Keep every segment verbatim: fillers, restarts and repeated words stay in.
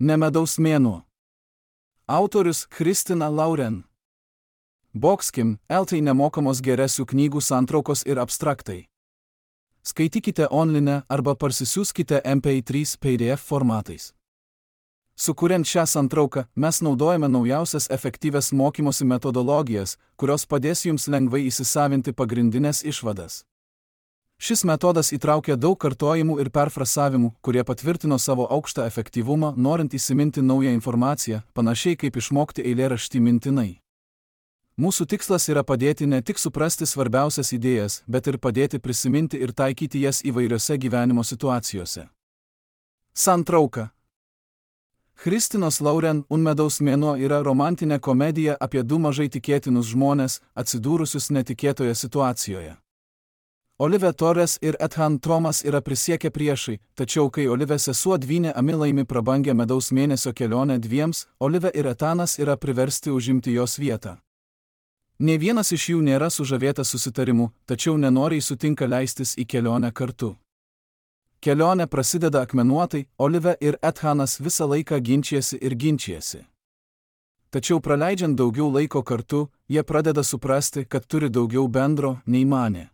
Ne medaus mėnuo. Autorius Kristina Lauren. Boxkim, eltai nemokamos geresių knygų santraukos ir abstraktai. Skaitykite online arba parsisiųskite M P trys P D F formatais. Sukuriant šią santrauką, mes naudojame naujausias efektyvias mokymosi metodologijas, kurios padės jums lengvai įsisavinti pagrindinės išvadas. Šis metodas įtraukia daug kartojimų ir perfrasavimų, kurie patvirtino savo aukštą efektyvumą, norint įsiminti naują informaciją, panašiai kaip išmokti eilėraštį mintinai. Mūsų tikslas yra padėti ne tik suprasti svarbiausias idėjas, bet ir padėti prisiminti ir taikyti jas įvairiose gyvenimo situacijose. Santrauka. Kristinos Lauren Un medaus mėnuo yra romantinė komedija apie du mažai tikėtinus žmones, atsidūrusius netikėtoje situacijoje. Olive Torres ir Ethan Thomas yra prisiekę priešai, tačiau kai Olive sesuo dvynė Ami laimi prabangę medaus mėnesio kelionę dviems, Olive ir Ethanas yra priversti užimti jos vietą. Nė vienas iš jų nėra sužavėtas susitarimu, tačiau nenoriai sutinka leistis į kelionę kartu. Kelionė prasideda akmenuotai, Olive ir Ethanas visą laiką ginčijasi ir ginčijasi. Tačiau praleidžiant daugiau laiko kartu, jie pradeda suprasti, kad turi daugiau bendro, nei manė.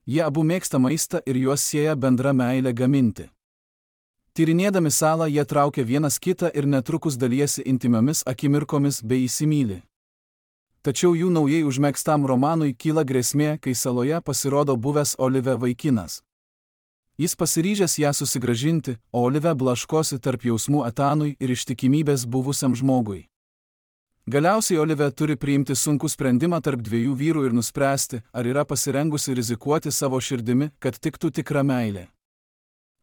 Jie abu mėgsta maistą ir juos sieja bendra meilė gaminti. Tyrinėdami salą jie traukia vienas kitą ir netrukus dalijasi intimiomis akimirkomis bei įsimyli. Tačiau jų naujai užmėgstam romanui kyla grėsmė, kai saloje pasirodo buvęs Olive vaikinas. Jis pasiryžęs ją susigrąžinti, o Olive blaškosi tarp jausmų Ethanui ir ištikimybės buvusiam žmogui. Galiausiai Olive turi priimti sunkų sprendimą tarp dviejų vyrų ir nuspręsti, ar yra pasirengusi rizikuoti savo širdimi, kad tiktų tikra meilė.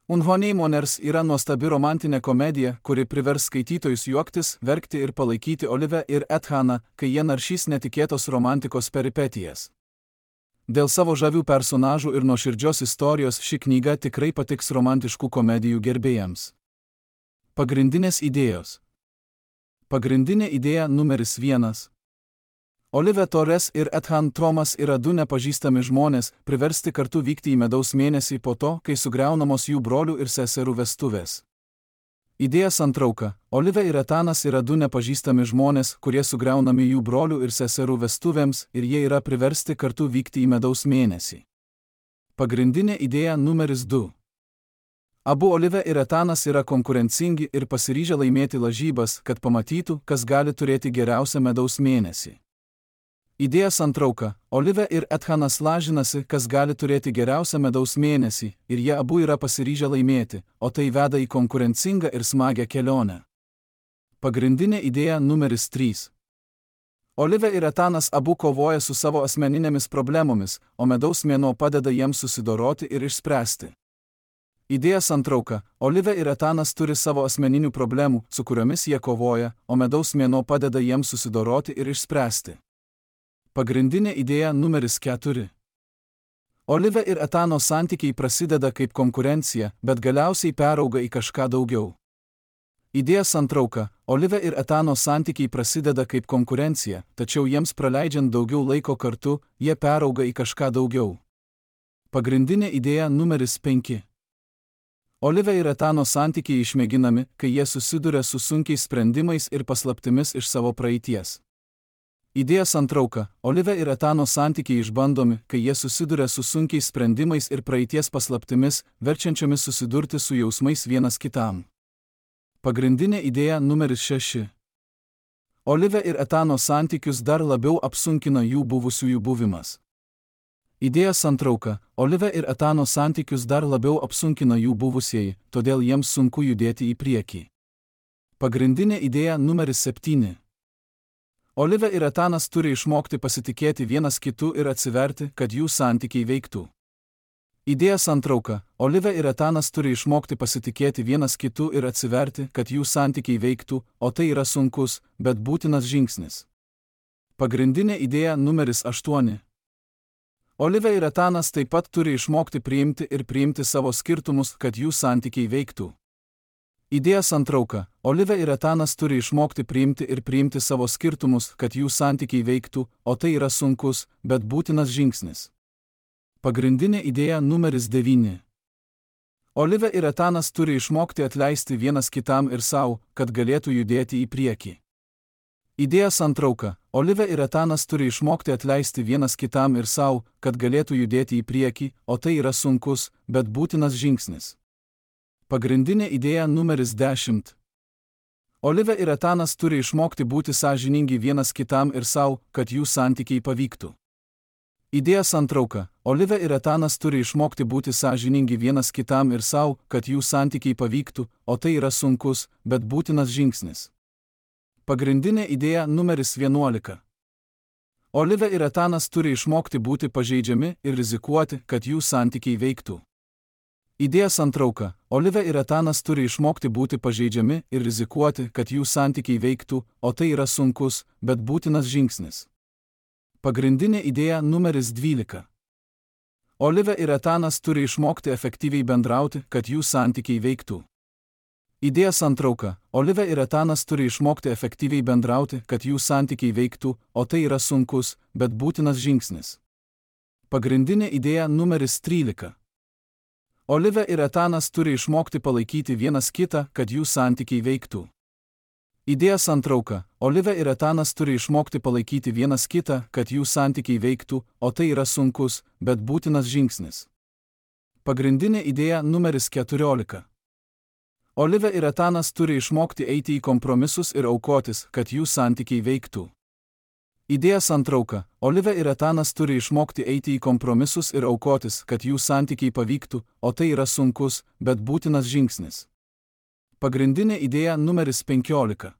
Unhoneymoners yra nuostabi romantinė komedija, kuri privers skaitytojus juoktis, verkti ir palaikyti Olive ir Ethaną, kai jie naršys netikėtos romantikos peripetijas. Dėl savo žavių personažų ir nuoširdžios istorijos ši knyga tikrai patiks romantiškų komedijų gerbėjams. Pagrindinės idėjos. Pagrindinė idėja numeris vienas. Olive Torres ir Ethan Thomas yra du nepažįstami žmonės, priversti kartu vykti į medaus mėnesį po to, kai sugriaunamos jų brolių ir seserų vestuvės. Idėja santrauka. Olive ir Ethanas yra du nepažįstami žmonės, kurie sugriaunami jų brolių ir seserų vestuvėms ir jie yra priversti kartu vykti į medaus mėnesį. Pagrindinė idėja numeris du. Abu Olive ir Ethanas yra konkurencingi ir pasiryžę laimėti lažybas, kad pamatytų, kas gali turėti geriausią medaus mėnesį. Idėja santrauka. Olive ir Ethanas lažinasi, kas gali turėti geriausią medaus mėnesį, ir jie abu yra pasiryžę laimėti, o tai veda į konkurencingą ir smagią kelionę. Pagrindinė idėja numeris trys. Olive ir Ethanas abu kovoja su savo asmeninėmis problemomis, o medaus mėnuo padeda jiems susidoroti ir išspręsti. Idėja santrauka. Olive ir Ethanas turi savo asmeninių problemų, su kuriomis jie kovoja, o medaus mėnuo padeda jiems susidoroti ir išspręsti. Pagrindinė idėja numeris keturi. Olive ir Ethano santykiai prasideda kaip konkurencija, bet galiausiai perauga į kažką daugiau. Idėja santrauka. Olive ir Ethano santykiai prasideda kaip konkurencija, tačiau jiems praleidžiant daugiau laiko kartu, jie perauga į kažką daugiau. Pagrindinė idėja numeris penki. Olive ir Ethano santykiai išmėginami, kai jie susiduria su sunkiais sprendimais ir paslaptimis iš savo praeities. Idėja santrauka. Olive ir Ethano santykiai išbandomi, kai jie susiduria su sunkiais sprendimais ir praeities paslaptimis, verčiančiomis susidurti su jausmais vienas kitam. Pagrindinė idėja numeris šeši. Olive ir Ethano santykius dar labiau apsunkina jų buvusiųjų buvimas. Idėja santrauka. Olive ir Ethano santykius dar labiau apsunkina jų buvusieji, todėl jiems sunku judėti į priekį. Pagrindinė idėja numeris septyni. Olive ir Ethanas turi išmokti pasitikėti vienas kitu ir atsiverti, kad jų santykiai veiktų. Idėja santrauka. Olive ir Ethanas turi išmokti pasitikėti vienas kitu ir atsiverti, kad jų santykiai veiktų, o tai yra sunkus, bet būtinas žingsnis. Pagrindinė idėja numeris aštuoni. Olive ir Ethanas taip pat turi išmokti priimti ir priimti savo skirtumus, kad jų santykiai veiktų. Idėja santrauka. Olive ir Ethanas turi išmokti priimti ir priimti savo skirtumus, kad jų santykiai veiktų, o tai yra sunkus, bet būtinas žingsnis. Pagrindinė idėja numeris devyni. Olivė ir Etanas turi išmokti atleisti vienas kitam ir savo, kad galėtų judėti į priekį. Idėja santrauka. Olivė ir Etanas turi išmokti atleisti vienas kitam ir savo, kad galėtų judėti į priekį, o tai yra sunkus, bet būtinas žingsnis. Pagrindinė idėja numeris dešimt. Olivė ir Etanas turi išmokti būti sąžiningi vienas kitam ir savo, kad jų santykiai pavyktų. Idėja santrauka. Olivė ir Etanas turi išmokti būti sąžiningi vienas kitam ir savo, kad jų santykiai pavyktų, o tai yra sunkus, bet būtinas žingsnis. Pagrindinė idėja numeris vienuolika. Olivė ir Etanas turi išmokti būti pažeidžiami ir rizikuoti, kad jų santykiai veiktų. Idėja santrauka. Olivė ir Etanas turi išmokti būti pažeidžiami ir rizikuoti, kad jų santykiai veiktų, o tai yra sunkus, bet būtinas žingsnis. Pagrindinė idėja numeris dvylika. Olivė ir Etanas turi išmokti efektyviai bendrauti, kad jų santykiai veiktų. Idėja santrauka. Olivė ir Etanas turi išmokti efektyviai bendrauti, kad jų santykiai veiktų, o tai yra sunkus, bet būtinas žingsnis. Pagrindinė idėja numeris trylika. Olivė ir Etanas turi išmokti palaikyti vienas kitą, kad jų santykiai veiktų. Idėja santrauka. Olivė ir Etanas turi išmokti palaikyti vienas kitą, kad jų santykiai veiktų, o tai yra sunkus, bet būtinas žingsnis. Pagrindinė idėja numeris keturiolika. Olivė ir Etanas turi išmokti eiti į kompromisus ir aukotis, kad jų santykiai veiktų. Idėja santrauka. Olivė ir Etanas turi išmokti eiti į kompromisus ir aukotis, kad jų santykiai pavyktų, o tai yra sunkus, bet būtinas žingsnis. Pagrindinė idėja numeris penkiolika.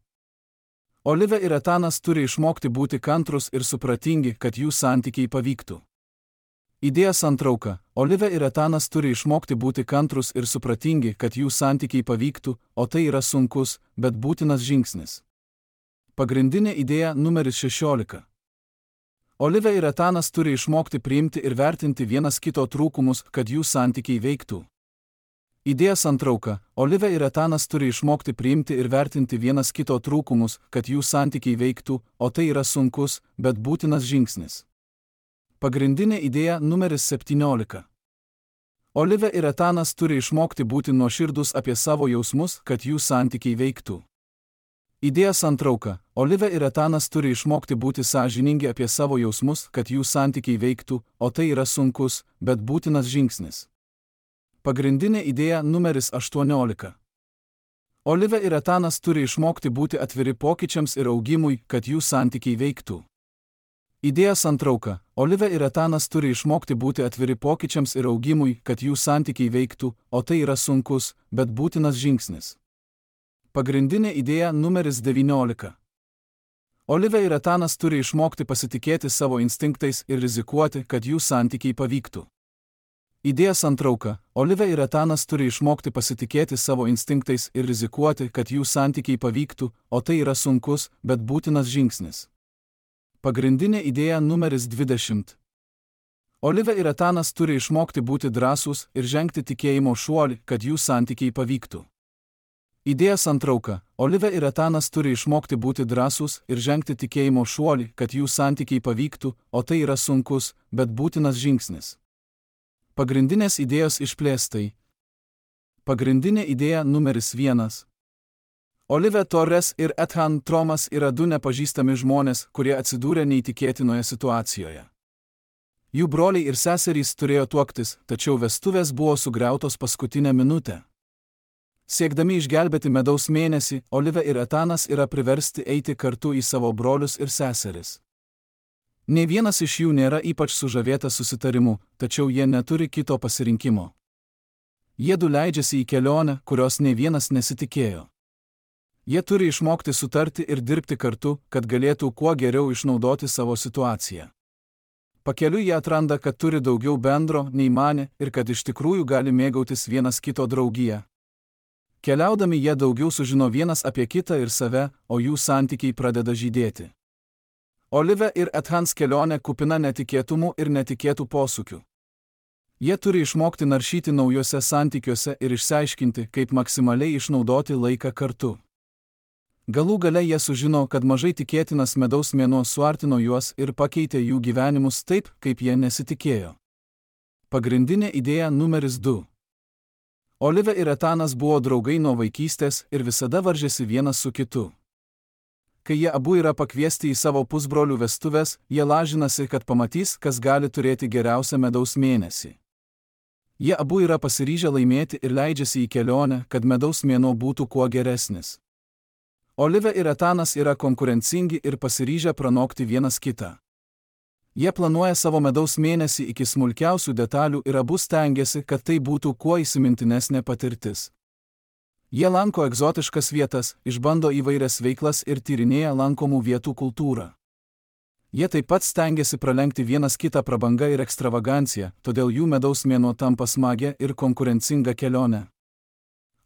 Olivė ir Etanas turi išmokti būti kantrus ir supratingi, kad jų santykiai pavyktų. Idėja santrauka. Olivė ir Etanas turi išmokti būti kantrus ir supratingi, kad jų santykiai pavyktų, o tai yra sunkus, bet būtinas žingsnis. Pagrindinė idėja numeris šešiolika. Olivė ir Etanas turi išmokti priimti ir vertinti vienas kito trūkumus, kad jų santykiai veiktų. Idėja santrauka. Olivė ir Etanas turi išmokti priimti ir vertinti vienas kito trūkumus, kad jų santykiai veiktų, o tai yra sunkus, bet būtinas žingsnis. Pagrindinė idėja numeris septyniolika. Olivė ir Etanas turi išmokti būti nuoširdus apie savo jausmus, kad jų santykiai veiktų. Idėja santrauka. Olivė ir Etanas turi išmokti būti sąžiningi apie savo jausmus, kad jų santykiai veiktų, o tai yra sunkus, bet būtinas žingsnis. Pagrindinė idėja numeris aštuoniolika. Olivė ir Etanas turi išmokti būti atviri pokyčiams ir augimui, kad jų santykiai veiktų. Idėja santrauka. Olivė ir Etanas turi išmokti būti atviri pokyčiams ir augimui, kad jų santykiai veiktų, o tai yra sunkus, bet būtinas žingsnis. Pagrindinė idėja numeris devyniolika. Olivė ir Etanas turi išmokti pasitikėti savo instinktais ir rizikuoti, kad jų santykiai pavyktų. Idėja santrauka. Olivė ir Etanas turi išmokti pasitikėti savo instinktais ir rizikuoti, kad jų santykiai pavyktų, o tai yra sunkus, bet būtinas žingsnis. Pagrindinė idėja numeris dvidešimt. Olivė ir Etanas turi išmokti būti drąsūs ir žengti tikėjimo šuolį, kad jų santykiai pavyktų. Idėja santrauka. Olivė ir Etanas turi išmokti būti drąsūs ir žengti tikėjimo šuolį, kad jų santykiai pavyktų, o tai yra sunkus, bet būtinas žingsnis. Pagrindinės idėjos išplėstai. Pagrindinė idėja numeris vienas. Olivė Torres ir Ethan Thomas yra du nepažįstami žmonės, kurie atsidūrė neįtikėtinoje situacijoje. Jų broliai ir seserys turėjo tuoktis, tačiau vestuvės buvo sugriautos paskutinę minutę. Siekdami išgelbėti medaus mėnesį, Olivė ir Etanas yra priversti eiti kartu į savo brolius ir seseris. Nė vienas iš jų nėra ypač sužavėtas susitarimu, tačiau jie neturi kito pasirinkimo. Jiedu leidžiasi į kelionę, kurios nė vienas nesitikėjo. Jie turi išmokti sutarti ir dirbti kartu, kad galėtų kuo geriau išnaudoti savo situaciją. Pakeliui jie atranda, kad turi daugiau bendro, nei manė, ir kad iš tikrųjų gali mėgautis vienas kito draugiją. Keliaudami jie daugiau sužino vienas apie kitą ir save, o jų santykiai pradeda žydėti. Olivė ir Ethans kelionė kupina netikėtumų ir netikėtų posūkių. Jie turi išmokti naršyti naujuose santykiuose ir išsiaiškinti, kaip maksimaliai išnaudoti laiką kartu. Galų gale jie sužino, kad mažai tikėtinas medaus mėnuo suartino juos ir pakeitė jų gyvenimus taip, kaip jie nesitikėjo. Pagrindinė idėja numeris du. Olivė ir Etanas buvo draugai nuo vaikystės ir visada varžėsi vienas su kitu. Kai jie abu yra pakviesti į savo pusbrolių vestuves, jie lažinasi, kad pamatys, kas gali turėti geriausią medaus mėnesį. Jie abu yra pasiryžę laimėti ir leidžiasi į kelionę, kad medaus mėnuo būtų kuo geresnis. Olivė ir Etanas yra konkurencingi ir pasiryžę pranokti vienas kitą. Jie planuoja savo medaus mėnesį iki smulkiausių detalių ir abu stengiasi, kad tai būtų kuo įsimintinesnė patirtis. Jie lanko egzotiškas vietas, išbando įvairias veiklas ir tyrinėja lankomų vietų kultūrą. Jie taip pat stengiasi pralenkti vienas kitą prabanga ir ekstravagancija, todėl jų medaus mėnuo tampa smagia ir konkurencinga kelionė.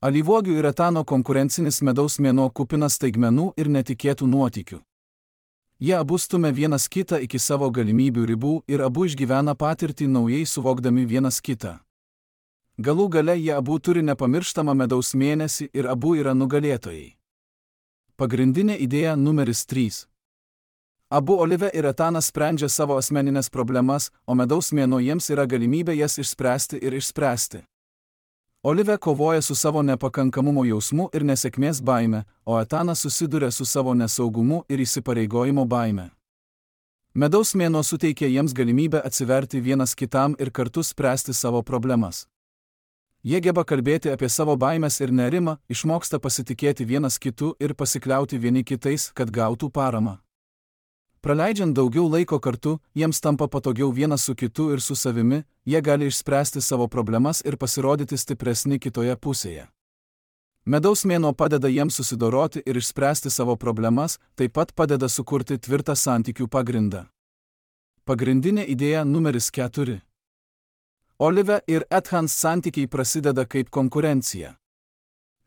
Alyvuogių ir Etano konkurencinis medaus mėnuo kupinas staigmenų ir netikėtų nuotykių. Jie abu stumia vienas kitą iki savo galimybių ribų ir abu išgyvena patirtį naujai suvokdami vienas kitą. Galų gale jie abu turi nepamirštamą medaus mėnesį ir abu yra nugalėtojai. Pagrindinė idėja numeris trys. Abu Olivė ir Etanas sprendžia savo asmeninės problemas, o medaus mėnuo jiems yra galimybė jas išspręsti ir išspręsti. Olivė kovoja su savo nepakankamumo jausmu ir nesėkmės baime, o Etanas susiduria su savo nesaugumu ir įsipareigojimo baime. Medaus mėnuo suteikia jiems galimybę atsiverti vienas kitam ir kartu spręsti savo problemas. Jie geba kalbėti apie savo baimes ir nerimą, išmoksta pasitikėti vienas kitu ir pasikliauti vieni kitais, kad gautų paramą. Praleidžiant daugiau laiko kartu, jiems tampa patogiau vienas su kitu ir su savimi, jie gali išspręsti savo problemas ir pasirodyti stipresni kitoje pusėje. Medaus mėnuo padeda jiems susidoroti ir išspręsti savo problemas, taip pat padeda sukurti tvirtą santykių pagrindą. Pagrindinė idėja numeris keturi. Olivė ir Etanas santykiai prasideda kaip konkurencija.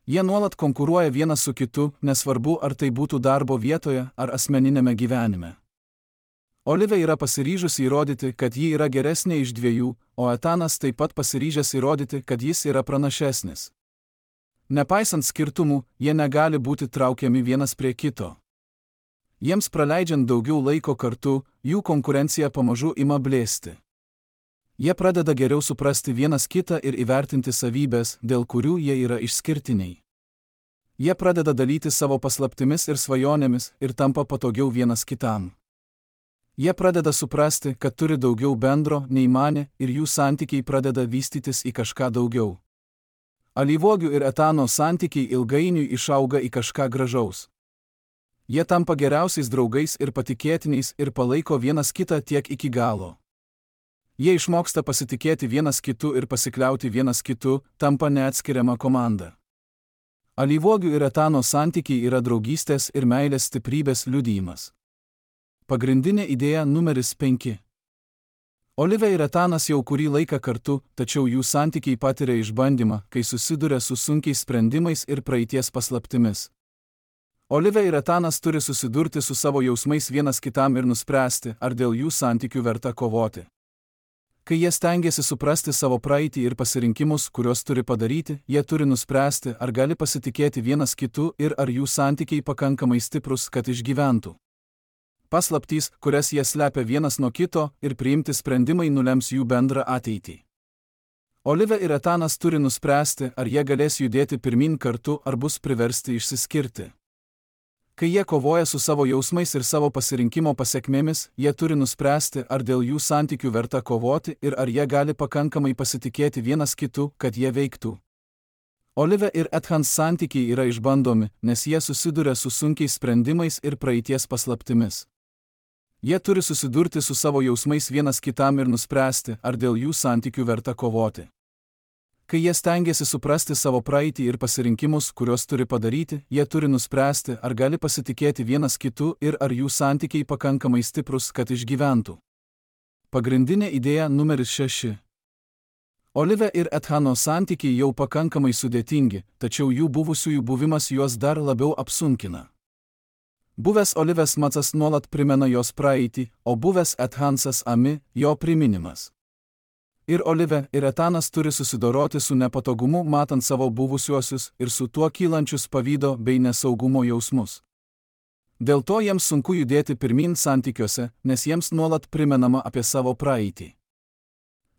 Jie nuolat konkuruoja vienas su kitu, nesvarbu ar tai būtų darbo vietoje ar asmeninėme gyvenime. Olivė yra pasiryžusi įrodyti, kad ji yra geresnė iš dviejų, o Etanas taip pat pasiryžęs įrodyti, kad jis yra pranašesnis. Nepaisant skirtumų, jie negali būti traukiami vienas prie kito. Jiems praleidžiant daugiau laiko kartu, jų konkurencija pamažu ima blėsti. Jie pradeda geriau suprasti vienas kitą ir įvertinti savybės, dėl kurių jie yra išskirtiniai. Jie pradeda dalyti savo paslaptimis ir svajonėmis ir tampa patogiau vienas kitam. Jie pradeda suprasti, kad turi daugiau bendro nei manė ir jų santykiai pradeda vystytis į kažką daugiau. Alyvuogių ir Etano santykiai ilgainiui išauga į kažką gražaus. Jie tampa geriausiais draugais ir patikėtiniais ir palaiko vienas kitą tiek iki galo. Jie išmoksta pasitikėti vienas kitu ir pasikliauti vienas kitu, tampa neatskiriama komanda. Alyvuogių ir Etano santykiai yra draugystės ir meilės stiprybės liudijimas. Pagrindinė idėja numeris penki. Olivė ir Etanas jau kurį laiką kartu, tačiau jų santykiai patiria išbandymą, kai susiduria su sunkiais sprendimais ir praeities paslaptimis. Olivė ir Etanas turi susidurti su savo jausmais vienas kitam ir nuspręsti, ar dėl jų santykių verta kovoti. Kai jie stengiasi suprasti savo praeitį ir pasirinkimus, kuriuos turi padaryti, jie turi nuspręsti, ar gali pasitikėti vienas kitu ir ar jų santykiai pakankamai stiprus, kad išgyventų. Paslaptys, kurias jie slepia vienas nuo kito, ir priimti sprendimai nulems jų bendrą ateitį. Olivė ir Etanas turi nuspręsti, ar jie galės judėti pirmin kartu, ar bus priversti išsiskirti. Kai jie kovoja su savo jausmais ir savo pasirinkimo pasekmėmis, jie turi nuspręsti, ar dėl jų santykių verta kovoti ir ar jie gali pakankamai pasitikėti vienas kitu, kad jie veiktų. Olivė ir Etanas santykiai yra išbandomi, nes jie susiduria su sunkiais sprendimais ir praeities paslaptimis. Jie turi susidurti su savo jausmais vienas kitam ir nuspręsti, ar dėl jų santykių verta kovoti. Kai jie stengiasi suprasti savo praeitį ir pasirinkimus, kuriuos turi padaryti, jie turi nuspręsti, ar gali pasitikėti vienas kitu ir ar jų santykiai pakankamai stiprus, kad išgyventų. Pagrindinė idėja numeris šeši. Olivė ir Etano santykiai jau pakankamai sudėtingi, tačiau jų buvusiųjų buvimas juos dar labiau apsunkina. Buvęs Olivės Macas nuolat primena jos praeitį, o buvęs Etansas Ami jo priminimas. Ir Olivė ir Etanas turi susidoroti su nepatogumu matant savo buvusiuosius ir su tuo kylančius pavydo bei nesaugumo jausmus. Dėl to jiems sunku judėti pirmin santykiuose, nes jiems nuolat primenama apie savo praeitį.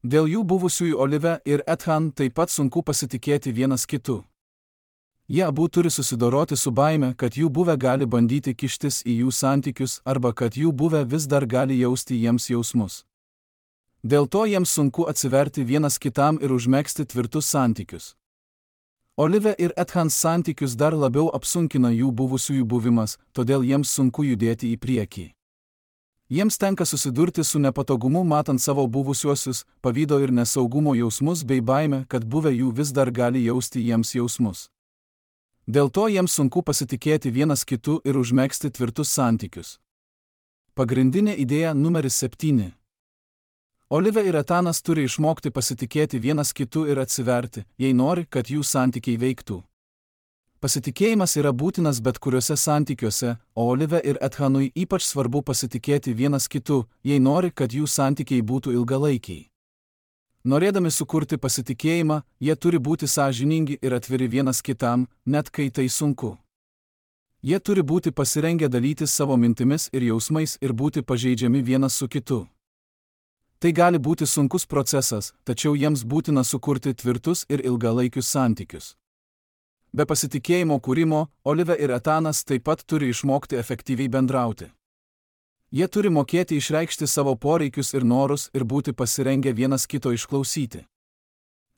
Dėl jų buvusiųjų Olive ir Ethan taip pat sunku pasitikėti vienas kitu. Jie abu turi susidoroti su baime, kad jų buvę gali bandyti kištis į jų santykius arba kad jų buvę vis dar gali jausti jiems jausmus. Dėl to jiems sunku atsiverti vienas kitam ir užmegzti tvirtus santykius. Olive ir Ethans santykius dar labiau apsunkina jų buvusiųjų buvimas, todėl jiems sunku judėti į priekį. Jiems tenka susidurti su nepatogumu matant savo buvusiuosius, pavydo ir nesaugumo jausmus bei baime, kad buvę jų vis dar gali jausti jiems jausmus. Dėl to jiems sunku pasitikėti vienas kitu ir užmegzti tvirtus santykius. Pagrindinė idėja numeris septyni. Olive ir Etanas turi išmokti pasitikėti vienas kitu ir atsiverti, jei nori, kad jų santykiai veiktų. Pasitikėjimas yra būtinas bet kuriuose santykiuose, o Olive ir Ethanui ypač svarbu pasitikėti vienas kitu, jei nori, kad jų santykiai būtų ilgalaikiai. Norėdami sukurti pasitikėjimą, jie turi būti sąžiningi ir atviri vienas kitam, net kai tai sunku. Jie turi būti pasirengę dalytis savo mintimis ir jausmais ir būti pažeidžiami vienas su kitu. Tai gali būti sunkus procesas, tačiau jiems būtina sukurti tvirtus ir ilgalaikius santykius. Be pasitikėjimo kūrimo, Olive ir Etanas taip pat turi išmokti efektyviai bendrauti. Jie turi mokėti išreikšti savo poreikius ir norus ir būti pasirengę vienas kito išklausyti.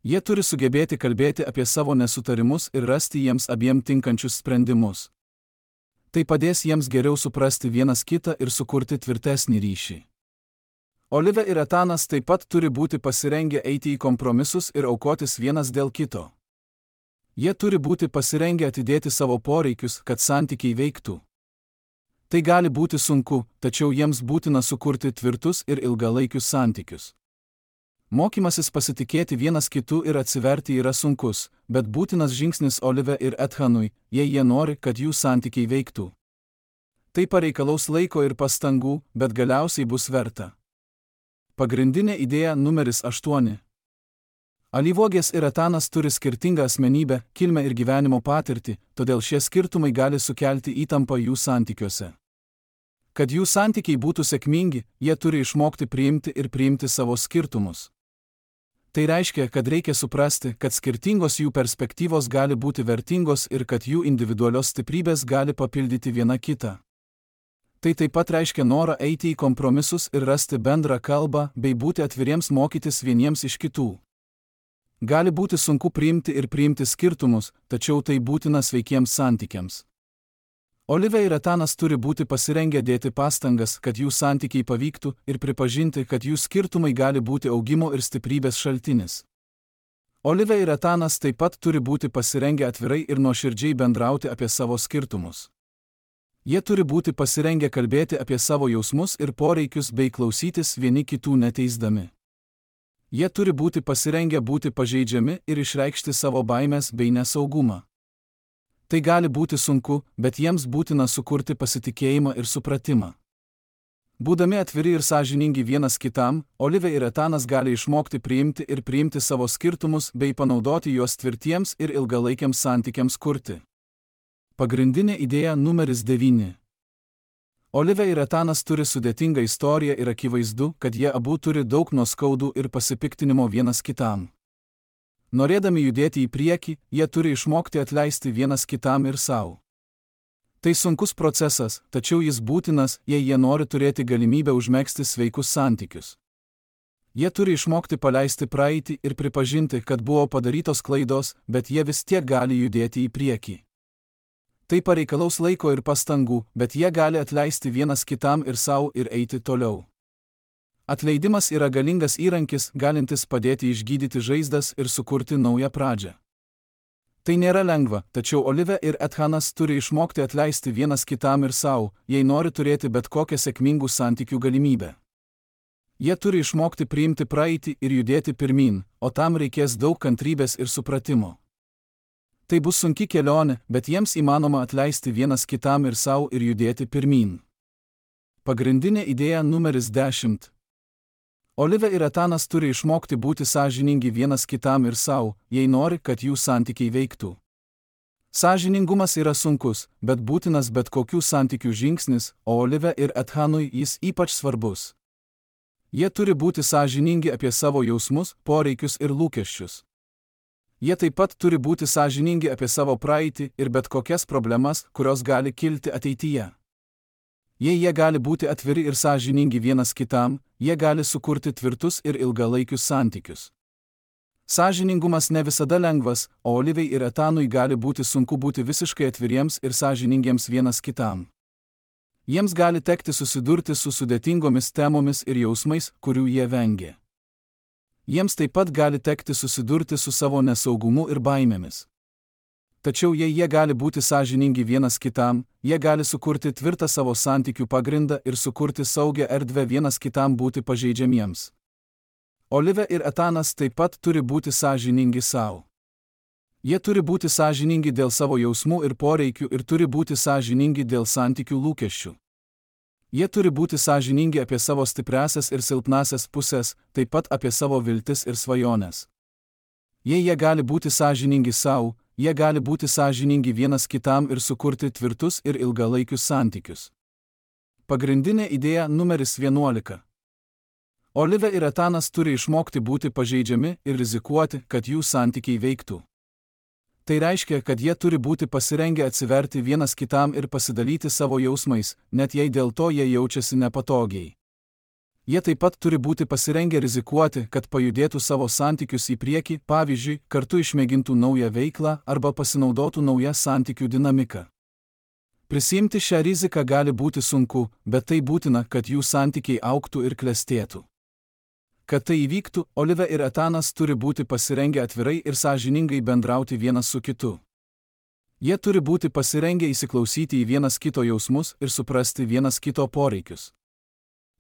Jie turi sugebėti kalbėti apie savo nesutarimus ir rasti jiems abiem tinkančius sprendimus. Tai padės jiems geriau suprasti vienas kitą ir sukurti tvirtesnį ryšį. Olive ir Etanas taip pat turi būti pasirengę eiti į kompromisus ir aukotis vienas dėl kito. Jie turi būti pasirengę atidėti savo poreikius, kad santykiai veiktų. Tai gali būti sunku, tačiau jiems būtina sukurti tvirtus ir ilgalaikius santykius. Mokymasis pasitikėti vienas kitu ir atsiverti yra sunkus, bet būtinas žingsnis Olive ir Ethanui, jei jie nori, kad jų santykiai veiktų. Tai pareikalaus laiko ir pastangų, bet galiausiai bus verta. Pagrindinė idėja numeris aštuoni. Alyvuogės ir Etanas turi skirtingą asmenybę, kilmę ir gyvenimo patirtį, todėl šie skirtumai gali sukelti įtampą jų santykiuose. Kad jų santykiai būtų sėkmingi, jie turi išmokti priimti ir priimti savo skirtumus. Tai reiškia, kad reikia suprasti, kad skirtingos jų perspektyvos gali būti vertingos ir kad jų individualios stiprybės gali papildyti viena kitą. Tai taip pat reiškia norą eiti į kompromisus ir rasti bendrą kalbą bei būti atviriems mokytis vieniems iš kitų. Gali būti sunku priimti ir priimti skirtumus, tačiau tai būtina sveikiems santykiams. Olive ir Etanas turi būti pasirengę dėti pastangas, kad jų santykiai pavyktų ir pripažinti, kad jų skirtumai gali būti augimo ir stiprybės šaltinis. Olive ir Etanas taip pat turi būti pasirengę atvirai ir nuoširdžiai bendrauti apie savo skirtumus. Jie turi būti pasirengę kalbėti apie savo jausmus ir poreikius bei klausytis vieni kitų neteisdami. Jie turi būti pasirengę būti pažeidžiami ir išreikšti savo baimės bei nesaugumą. Tai gali būti sunku, bet jiems būtina sukurti pasitikėjimą ir supratimą. Būdami atviri ir sąžiningi vienas kitam, Olive ir Etanas gali išmokti priimti ir priimti savo skirtumus bei panaudoti juos tvirtiems ir ilgalaikiams santykiams kurti. Pagrindinė idėja numeris devyni. Olive ir Etanas turi sudėtingą istoriją ir akivaizdu, kad jie abu turi daug nuoskaudų ir pasipiktinimo vienas kitam. Norėdami judėti į priekį, jie turi išmokti atleisti vienas kitam ir savo. Tai sunkus procesas, tačiau jis būtinas, jei jie nori turėti galimybę užmegzti sveikus santykius. Jie turi išmokti paleisti praeitį ir pripažinti, kad buvo padarytos klaidos, bet jie vis tiek gali judėti į priekį. Tai pareikalaus laiko ir pastangų, bet jie gali atleisti vienas kitam ir savo ir eiti toliau. Atleidimas yra galingas įrankis, galintis padėti išgydyti žaizdas ir sukurti naują pradžią. Tai nėra lengva, tačiau Olive ir Ethanas turi išmokti atleisti vienas kitam ir savo, jei nori turėti bet kokią sėkmingų santykių galimybę. Jie turi išmokti priimti praeitį ir judėti pirmyn, o tam reikės daug kantrybės ir supratimo. Tai bus sunki kelionė, bet jiems įmanoma atleisti vienas kitam ir savo ir judėti pirmyn. Pagrindinė idėja numeris dešimt. Olive ir Etanas turi išmokti būti sąžiningi vienas kitam ir savo, jei nori, kad jų santykiai veiktų. Sąžiningumas yra sunkus, bet būtinas bet kokių santykių žingsnis, o Olive ir Ethanui jis ypač svarbus. Jie turi būti sąžiningi apie savo jausmus, poreikius ir lūkesčius. Jie taip pat turi būti sąžiningi apie savo praeitį ir bet kokias problemas, kurios gali kilti ateityje. Jei jie gali būti atviri ir sąžiningi vienas kitam, jie gali sukurti tvirtus ir ilgalaikius santykius. Sąžiningumas ne visada lengvas, o Olivei ir Etanui gali būti sunku būti visiškai atviriems ir sąžiningiems vienas kitam. Jiems gali tekti susidurti su sudėtingomis temomis ir jausmais, kurių jie vengia. Jiems taip pat gali tekti susidurti su savo nesaugumu ir baimėmis. Tačiau jei jie gali būti sąžiningi vienas kitam, jie gali sukurti tvirtą savo santykių pagrindą ir sukurti saugią erdvę vienas kitam būti pažeidžiamiems. Olivė ir Etanas taip pat turi būti sąžiningi savo. Jie turi būti sąžiningi dėl savo jausmų ir poreikių ir turi būti sąžiningi dėl santykių lūkesčių. Jie turi būti sąžiningi apie savo stipriasias ir silpnasias pusės, taip pat apie savo viltis ir svajones. Jei jie gali būti sąžiningi savo, jie gali būti sąžiningi vienas kitam ir sukurti tvirtus ir ilgalaikius santykius. Pagrindinė idėja numeris vienuolika. Olivė ir Etanas turi išmokti būti pažeidžiami ir rizikuoti, kad jų santykiai veiktų. Tai reiškia, kad jie turi būti pasirengę atsiverti vienas kitam ir pasidalyti savo jausmais, net jei dėl to jie jaučiasi nepatogiai. Jie taip pat turi būti pasirengę rizikuoti, kad pajudėtų savo santykius į priekį, pavyzdžiui, kartu išmėgintų naują veiklą arba pasinaudotų naują santykių dinamiką. Prisiimti šią riziką gali būti sunku, bet tai būtina, kad jų santykiai augtų ir klestėtų. Kad tai įvyktų, Olivė ir Etanas turi būti pasirengę atvirai ir sąžiningai bendrauti vienas su kitu. Jie turi būti pasirengę įsiklausyti į vienas kito jausmus ir suprasti vienas kito poreikius.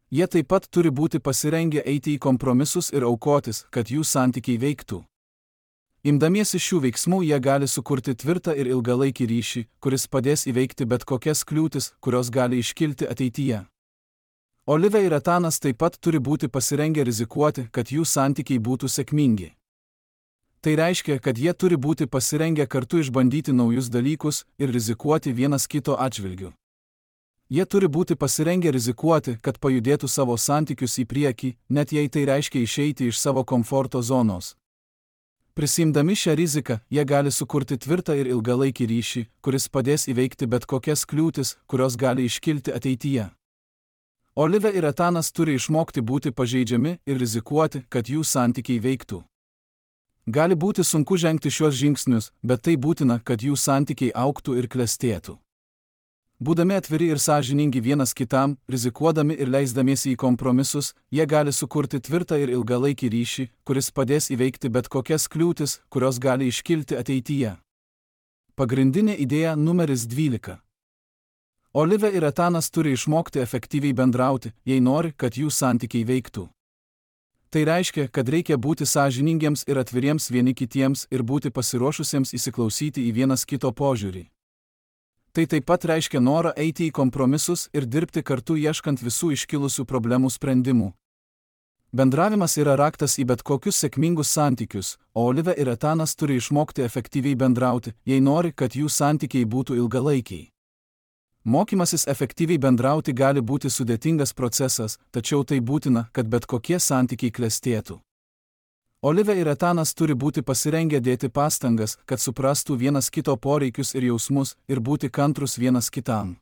Jie taip pat turi būti pasirengę eiti į kompromisus ir aukotis, kad jų santykiai veiktų. Imdamiesi šių veiksmų jie gali sukurti tvirtą ir ilgalaikį ryšį, kuris padės įveikti bet kokias kliūtis, kurios gali iškilti ateityje. Olivė ir Etanas taip pat turi būti pasirengę rizikuoti, kad jų santykiai būtų sėkmingi. Tai reiškia, kad jie turi būti pasirengę kartu išbandyti naujus dalykus ir rizikuoti vienas kito atžvilgiu. Jie turi būti pasirengę rizikuoti, kad pajudėtų savo santykius į priekį, net jei tai reiškia išeiti iš savo komforto zonos. Prisimdami šią riziką, jie gali sukurti tvirtą ir ilgalaikį ryšį, kuris padės įveikti bet kokias kliūtis, kurios gali iškilti ateityje. Olivė ir Etanas turi išmokti būti pažeidžiami ir rizikuoti, kad jų santykiai veiktų. Gali būti sunku žengti šiuos žingsnius, bet tai būtina, kad jų santykiai augtų ir klestėtų. Būdami atviri ir sąžiningi vienas kitam, rizikuodami ir leisdamiesi į kompromisus, jie gali sukurti tvirtą ir ilgalaikį ryšį, kuris padės įveikti bet kokias kliūtis, kurios gali iškilti ateityje. Pagrindinė idėja numeris dvylika. Olivė ir Etanas turi išmokti efektyviai bendrauti, jei nori, kad jų santykiai veiktų. Tai reiškia, kad reikia būti sąžiningiems ir atviriems vieni kitiems ir būti pasiruošusiems įsiklausyti į vienas kito požiūrį. Tai taip pat reiškia norą eiti į kompromisus ir dirbti kartu ieškant visų iškilusių problemų sprendimų. Bendravimas yra raktas į bet kokius sėkmingus santykius, o Olivė ir Etanas turi išmokti efektyviai bendrauti, jei nori, kad jų santykiai būtų ilgalaikiai. Mokymasis efektyviai bendrauti gali būti sudėtingas procesas, tačiau tai būtina, kad bet kokie santykiai klestėtų. Olivė ir Etanas turi būti pasirengę dėti pastangas, kad suprastų vienas kito poreikius ir jausmus ir būti kantrus vienas kitam.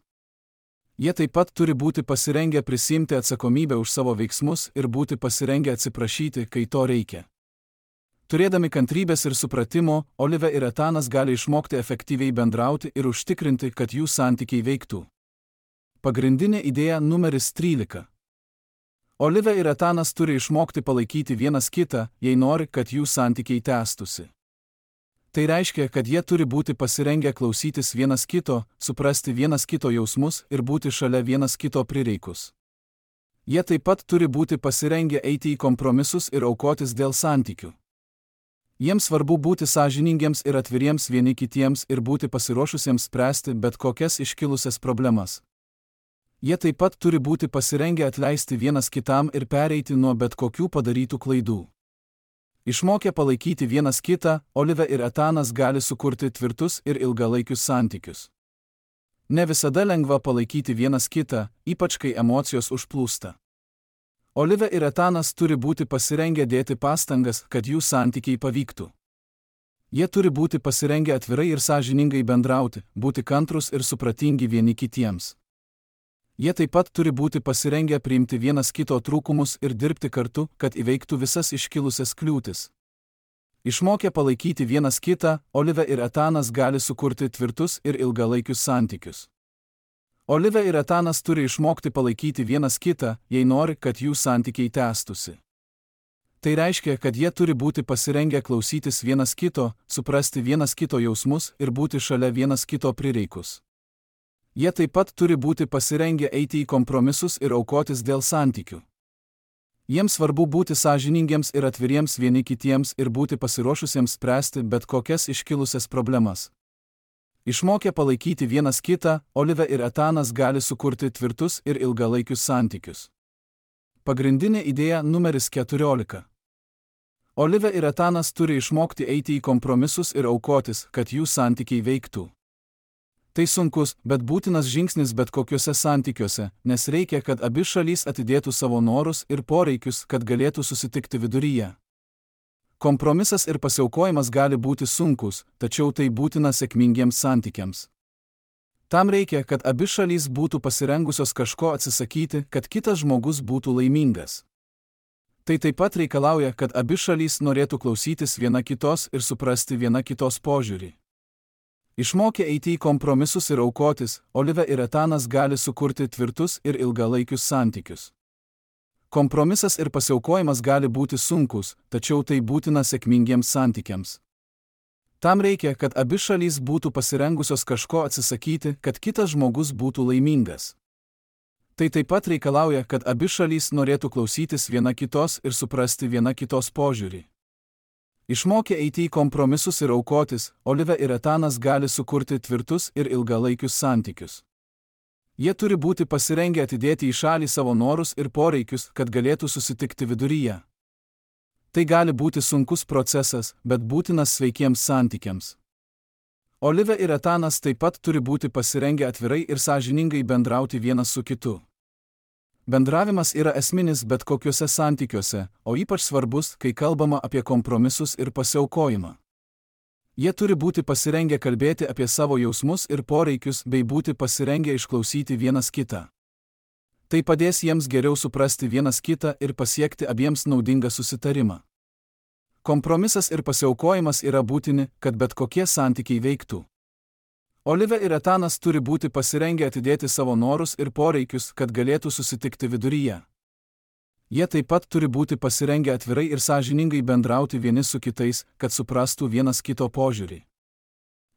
Jie taip pat turi būti pasirengę prisiimti atsakomybę už savo veiksmus ir būti pasirengę atsiprašyti, kai to reikia. Turėdami kantrybės ir supratimo, Olivė ir Etanas gali išmokti efektyviai bendrauti ir užtikrinti, kad jų santykiai veiktų. Pagrindinė idėja numeris trylika. Olivė ir Etanas turi išmokti palaikyti vienas kitą, jei nori, kad jų santykiai tęstųsi. Tai reiškia, kad jie turi būti pasirengę klausytis vienas kito, suprasti vienas kito jausmus ir būti šalia vienas kito prireikus. Jie taip pat turi būti pasirengę eiti į kompromisus ir aukotis dėl santykių. Jiems svarbu būti sąžiningiems ir atviriems vieni kitiems ir būti pasiruošusiems spręsti bet kokias iškilusias problemas. Jie taip pat turi būti pasirengę atleisti vienas kitam ir pereiti nuo bet kokių padarytų klaidų. Išmokę palaikyti vienas kitą, Olivė ir Etanas gali sukurti tvirtus ir ilgalaikius santykius. Ne visada lengva palaikyti vienas kitą, ypač kai emocijos užplūsta. Olivė ir Etanas turi būti pasirengę dėti pastangas, kad jų santykiai pavyktų. Jie turi būti pasirengę atvirai ir sąžiningai bendrauti, būti kantrus ir supratingi vieni kitiems. Jie taip pat turi būti pasirengę priimti vienas kito trūkumus ir dirbti kartu, kad įveiktų visas iškilusias kliūtis. Išmokę palaikyti vienas kitą, Olivė ir Etanas gali sukurti tvirtus ir ilgalaikius santykius. Olivė ir Etanas turi išmokti palaikyti vienas kitą, jei nori, kad jų santykiai tęstųsi. Tai reiškia, kad jie turi būti pasirengę klausytis vienas kito, suprasti vienas kito jausmus ir būti šalia vienas kito prireikus. Jie taip pat turi būti pasirengę eiti į kompromisus ir aukotis dėl santykių. Jiems svarbu būti sąžiningiems ir atviriems vieni kitiems ir būti pasiruošusiems spręsti bet kokias iškilusias problemas. Išmokę palaikyti vienas kitą, Olivė ir Etanas gali sukurti tvirtus ir ilgalaikius santykius. Pagrindinė idėja numeris keturiolika. Olivė ir Etanas turi išmokti eiti į kompromisus ir aukotis, kad jų santykiai veiktų. Tai sunkus, bet būtinas žingsnis bet kokiuose santykiuose, nes reikia, kad abi šalys atidėtų savo norus ir poreikius, kad galėtų susitikti viduryje. Kompromisas ir pasiaukojimas gali būti sunkus, tačiau tai būtina sėkmingiems santykiams. Tam reikia, kad abi šalys būtų pasirengusios kažko atsisakyti, kad kitas žmogus būtų laimingas. Tai taip pat reikalauja, kad abi šalys norėtų klausytis viena kitos ir suprasti viena kitos požiūrį. Išmokę eiti į kompromisus ir aukotis, Olivė ir Etanas gali sukurti tvirtus ir ilgalaikius santykius. Kompromisas ir pasiaukojimas gali būti sunkus, tačiau tai būtina sėkmingiems santykiams. Tam reikia, kad abi šalys būtų pasirengusios kažko atsisakyti, kad kitas žmogus būtų laimingas. Tai taip pat reikalauja, kad abi šalys norėtų klausytis viena kitos ir suprasti viena kitos požiūrį. Išmokę eiti į kompromisus ir aukotis, Olivė ir Etanas gali sukurti tvirtus ir ilgalaikius santykius. Jie turi būti pasirengę atidėti į šalį savo norus ir poreikius, kad galėtų susitikti viduryje. Tai gali būti sunkus procesas, bet būtinas sveikiems santykiams. Olivė ir Etanas taip pat turi būti pasirengę atvirai ir sąžiningai bendrauti vienas su kitu. Bendravimas yra esminis bet kokiuose santykiuose, o ypač svarbus, kai kalbama apie kompromisus ir pasiaukojimą. Jie turi būti pasirengę kalbėti apie savo jausmus ir poreikius bei būti pasirengę išklausyti vienas kitą. Tai padės jiems geriau suprasti vienas kitą ir pasiekti abiems naudingą susitarimą. Kompromisas ir pasiaukojimas yra būtini, kad bet kokie santykiai veiktų. Olivė ir Etanas turi būti pasirengę atidėti savo norus ir poreikius, kad galėtų susitikti viduryje. Jie taip pat turi būti pasirengę atvirai ir sąžiningai bendrauti vieni su kitais, kad suprastų vienas kito požiūrį.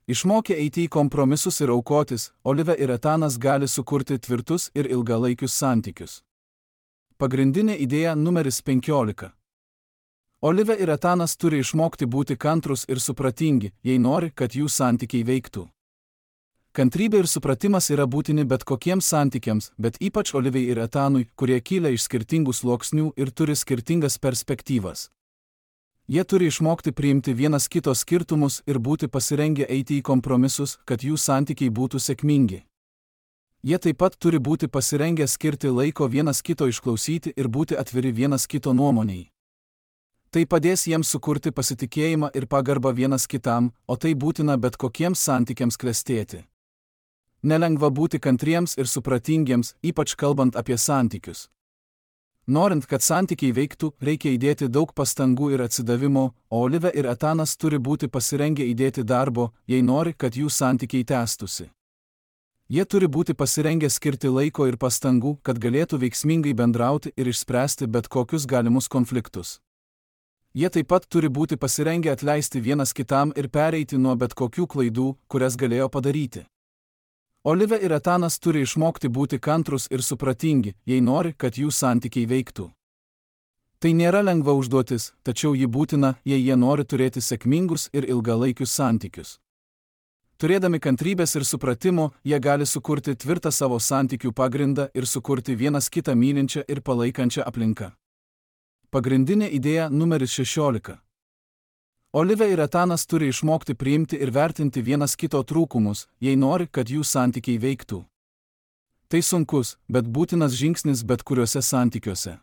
Išmokę eiti į kompromisus ir aukotis, Olivė ir Etanas gali sukurti tvirtus ir ilgalaikius santykius. Pagrindinė idėja numeris penkiolika. Olivė ir Etanas turi išmokti būti kantrus ir supratingi, jei nori, kad jų santykiai veiktų. Kantrybė ir supratimas yra būtini bet kokiems santykiams, bet ypač Olivei ir Etanui, kurie kyla iš skirtingų sluoksnių ir turi skirtingas perspektyvas. Jie turi išmokti priimti vienas kito skirtumus ir būti pasirengę eiti į kompromisus, kad jų santykiai būtų sėkmingi. Jie taip pat turi būti pasirengę skirti laiko vienas kito išklausyti ir būti atviri vienas kito nuomoniai. Tai padės jiems sukurti pasitikėjimą ir pagarbą vienas kitam, o tai būtina bet kokiems santykiams klestėti. Nelengva būti kantriems ir supratingiems, ypač kalbant apie santykius. Norint, kad santykiai veiktų, reikia įdėti daug pastangų ir atsidavimo, o Olivė ir Etanas turi būti pasirengę įdėti darbo, jei nori, kad jų santykiai tęstųsi. Jie turi būti pasirengę skirti laiko ir pastangų, kad galėtų veiksmingai bendrauti ir išspręsti bet kokius galimus konfliktus. Jie taip pat turi būti pasirengę atleisti vienas kitam ir pereiti nuo bet kokių klaidų, kurias galėjo padaryti. Olivė ir Etanas turi išmokti būti kantrus ir supratingi, jei nori, kad jų santykiai veiktų. Tai nėra lengva užduotis, tačiau ji būtina, jei jie nori turėti sėkmingus ir ilgalaikius santykius. Turėdami kantrybės ir supratimo, jie gali sukurti tvirtą savo santykių pagrindą ir sukurti vienas kitą mylinčią ir palaikančią aplinką. Pagrindinė idėja numeris šešiolika. Olivė ir Etanas turi išmokti priimti ir vertinti vienas kito trūkumus, jei nori, kad jų santykiai veiktų. Tai sunkus, bet būtinas žingsnis bet kuriuose santykiuose.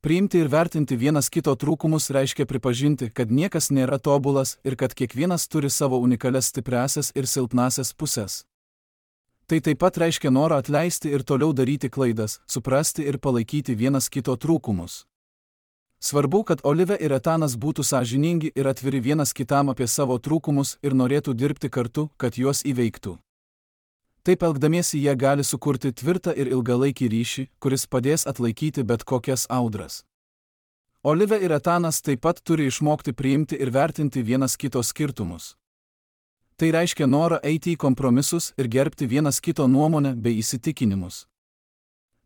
Priimti ir vertinti vienas kito trūkumus reiškia pripažinti, kad niekas nėra tobulas ir kad kiekvienas turi savo unikalias stipriąsias ir silpnąsias pusės. Tai taip pat reiškia norą atleisti ir toliau daryti klaidas, suprasti ir palaikyti vienas kito trūkumus. Svarbu, kad Olivė ir Etanas būtų sąžiningi ir atviri vienas kitam apie savo trūkumus ir norėtų dirbti kartu, kad juos įveiktų. Taip elgdamiesi jie gali sukurti tvirtą ir ilgalaikį ryšį, kuris padės atlaikyti bet kokias audras. Olivė ir Etanas taip pat turi išmokti priimti ir vertinti vienas kito skirtumus. Tai reiškia norą eiti į kompromisus ir gerbti vienas kito nuomonę bei įsitikinimus.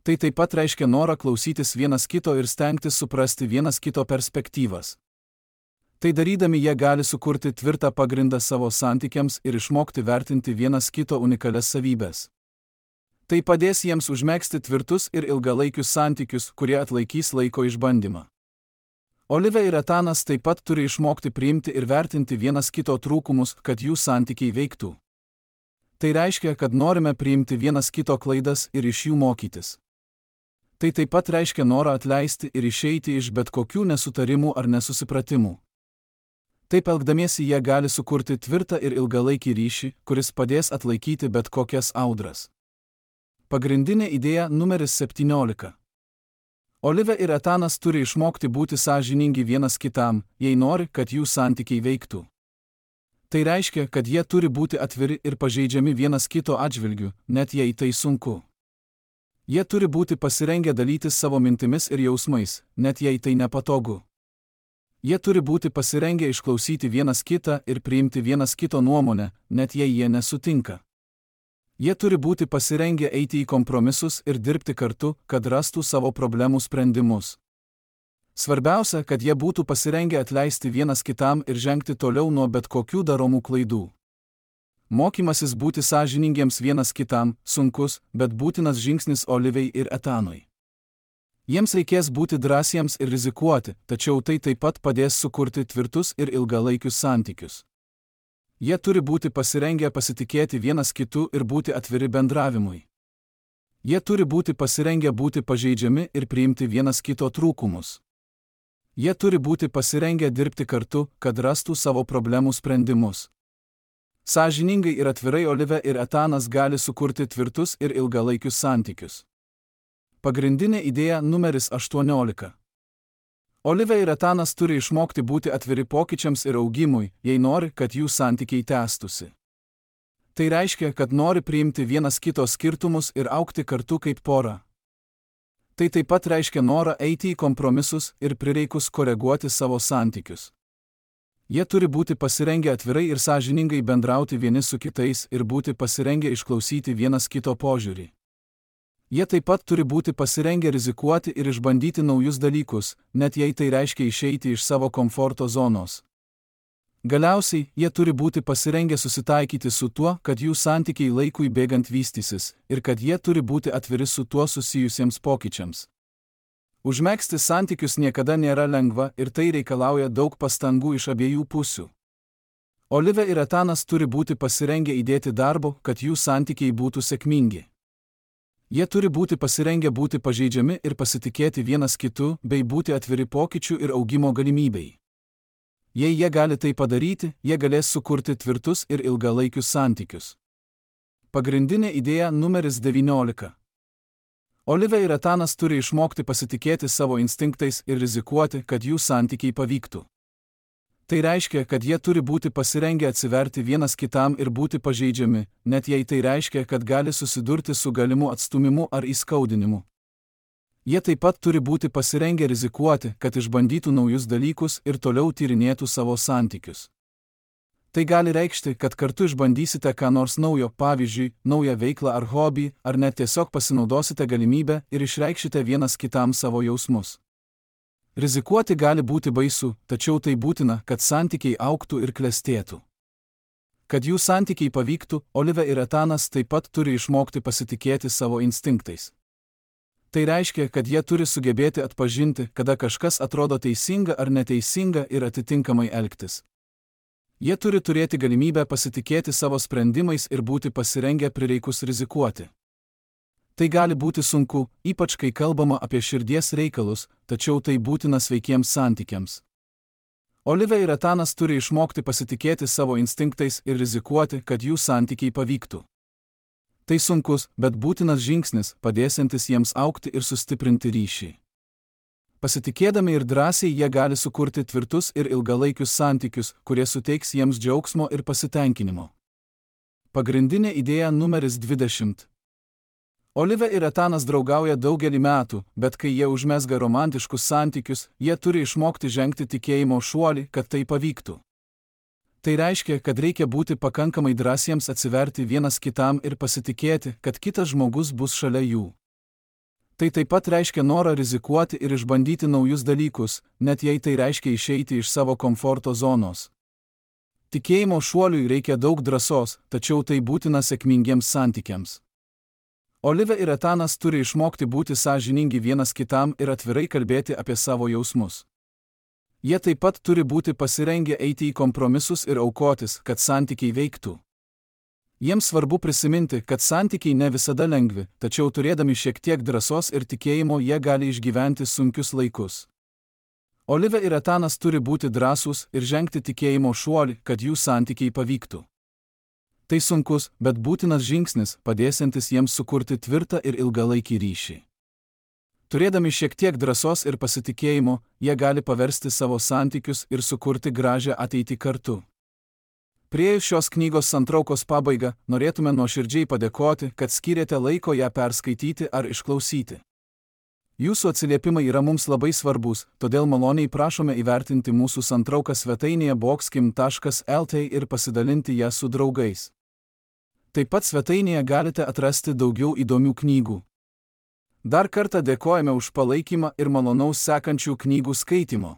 Tai taip pat reiškia norą klausytis vienas kito ir stengtis suprasti vienas kito perspektyvas. Tai darydami jie gali sukurti tvirtą pagrindą savo santykiams ir išmokti vertinti vienas kito unikalias savybes. Tai padės jiems užmegzti tvirtus ir ilgalaikius santykius, kurie atlaikys laiko išbandymą. Olivė ir Etanas taip pat turi išmokti priimti ir vertinti vienas kito trūkumus, kad jų santykiai veiktų. Tai reiškia, kad norime priimti vienas kito klaidas ir iš jų mokytis. Tai taip pat reiškia norą atleisti ir išeiti iš bet kokių nesutarimų ar nesusipratimų. Taip elgdamiesi jie gali sukurti tvirtą ir ilgalaikį ryšį, kuris padės atlaikyti bet kokias audras. Pagrindinė idėja numeris septyniolika. Olivė ir Etanas turi išmokti būti sąžiningi vienas kitam, jei nori, kad jų santykiai veiktų. Tai reiškia, kad jie turi būti atviri ir pažeidžiami vienas kito atžvilgiu, net jei tai sunku. Jie turi būti pasirengę dalytis savo mintimis ir jausmais, net jei tai nepatogu. Jie turi būti pasirengę išklausyti vienas kitą ir priimti vienas kito nuomonę, net jei jie nesutinka. Jie turi būti pasirengę eiti į kompromisus ir dirbti kartu, kad rastų savo problemų sprendimus. Svarbiausia, kad jie būtų pasirengę atleisti vienas kitam ir žengti toliau nuo bet kokių daromų klaidų. Mokymasis būti sąžiningiems vienas kitam sunkus, bet būtinas žingsnis Olivei ir Etanui. Jiems reikės būti drąsiems ir rizikuoti, tačiau tai taip pat padės sukurti tvirtus ir ilgalaikius santykius. Jie turi būti pasirengę pasitikėti vienas kitu ir būti atviri bendravimui. Jie turi būti pasirengę būti pažeidžiami ir priimti vienas kito trūkumus. Jie turi būti pasirengę dirbti kartu, kad rastų savo problemų sprendimus. Sąžiningai ir atvirai Olivė ir Etanas gali sukurti tvirtus ir ilgalaikius santykius. Pagrindinė idėja numeris aštuoniolika. Olivė ir Etanas turi išmokti būti atviri pokyčiams ir augimui, jei nori, kad jų santykiai tęstųsi. Tai reiškia, kad nori priimti vienas kito skirtumus ir augti kartu kaip pora. Tai taip pat reiškia norą eiti į kompromisus ir prireikus koreguoti savo santykius. Jie turi būti pasirengę atvirai ir sąžiningai bendrauti vieni su kitais ir būti pasirengę išklausyti vienas kito požiūrį. Jie taip pat turi būti pasirengę rizikuoti ir išbandyti naujus dalykus, net jei tai reiškia išeiti iš savo komforto zonos. Galiausiai, jie turi būti pasirengę susitaikyti su tuo, kad jų santykiai laikui bėgant vystysis, ir kad jie turi būti atviri su tuo susijusiems pokyčiams. Užmegzti santykius niekada nėra lengva ir tai reikalauja daug pastangų iš abiejų pusių. Olivė ir Etanas turi būti pasirengę įdėti darbo, kad jų santykiai būtų sėkmingi. Jie turi būti pasirengę būti pažeidžiami ir pasitikėti vienas kitu, bei būti atviri pokyčių ir augimo galimybei. Jei jie gali tai padaryti, jie galės sukurti tvirtus ir ilgalaikius santykius. Pagrindinė idėja numeris devyniolika. Olivė ir Etanas turi išmokti pasitikėti savo instinktais ir rizikuoti, kad jų santykiai pavyktų. Tai reiškia, kad jie turi būti pasirengę atsiverti vienas kitam ir būti pažeidžiami, net jei tai reiškia, kad gali susidurti su galimu atstumimu ar įskaudinimu. Jie taip pat turi būti pasirengę rizikuoti, kad išbandytų naujus dalykus ir toliau tyrinėtų savo santykius. Tai gali reikšti, kad kartu išbandysite ką nors naujo, pavyzdžiui, naują veiklą ar hobį, ar net tiesiog pasinaudosite galimybę ir išreikšite vienas kitam savo jausmus. Rizikuoti gali būti baisu, tačiau tai būtina, kad santykiai augtų ir klestėtų. Kad jų santykiai pavyktų, Olivė ir Etanas taip pat turi išmokti pasitikėti savo instinktais. Tai reiškia, kad jie turi sugebėti atpažinti, kada kažkas atrodo teisinga ar neteisinga ir atitinkamai elgtis. Jie turi turėti galimybę pasitikėti savo sprendimais ir būti pasirengę prireikus rizikuoti. Tai gali būti sunku, ypač kai kalbama apie širdies reikalus, tačiau tai būtina sveikiems santykiams. Olivia ir Etanas turi išmokti pasitikėti savo instinktais ir rizikuoti, kad jų santykiai pavyktų. Tai sunkus, bet būtinas žingsnis, padėsiantis jiems augti ir sustiprinti ryšį. Pasitikėdami ir drąsiai jie gali sukurti tvirtus ir ilgalaikius santykius, kurie suteiks jiems džiaugsmo ir pasitenkinimo. Pagrindinė idėja numeris dvidešimt. Olivia ir Etanas draugauja daugelį metų, bet kai jie užmezga romantiškus santykius, jie turi išmokti žengti tikėjimo šuolį, kad tai pavyktų. Tai reiškia, kad reikia būti pakankamai drąsiems atsiverti vienas kitam ir pasitikėti, kad kitas žmogus bus šalia jų. Tai taip pat reiškia norą rizikuoti ir išbandyti naujus dalykus, net jei tai reiškia išeiti iš savo komforto zonos. Tikėjimo šuoliui reikia daug drąsos, tačiau tai būtina sėkmingiems santykiams. Olivia ir Etanas turi išmokti būti sąžiningi vienas kitam ir atvirai kalbėti apie savo jausmus. Jie taip pat turi būti pasirengę eiti į kompromisus ir aukotis, kad santykiai veiktų. Jiems svarbu prisiminti, kad santykiai ne visada lengvi, tačiau turėdami šiek tiek drąsos ir tikėjimo jie gali išgyventi sunkius laikus. Olivia ir Etanas turi būti drąsūs ir žengti tikėjimo šuolį, kad jų santykiai pavyktų. Tai sunkus, bet būtinas žingsnis, padėsiantis jiems sukurti tvirtą ir ilgalaikį ryšį. Turėdami šiek tiek drąsos ir pasitikėjimo, jie gali paversti savo santykius ir sukurti gražią ateitį kartu. Priėjus šios knygos santraukos pabaigą, norėtume nuoširdžiai padėkoti, kad skyrėte laiko ją perskaityti ar išklausyti. Jūsų atsiliepimai yra mums labai svarbus, todėl maloniai prašome įvertinti mūsų santrauką svetainėje boxkim taškas lt ir pasidalinti ją su draugais. Taip pat svetainėje galite atrasti daugiau įdomių knygų. Dar kartą dėkojame už palaikymą ir malonaus sekančių knygų skaitimo.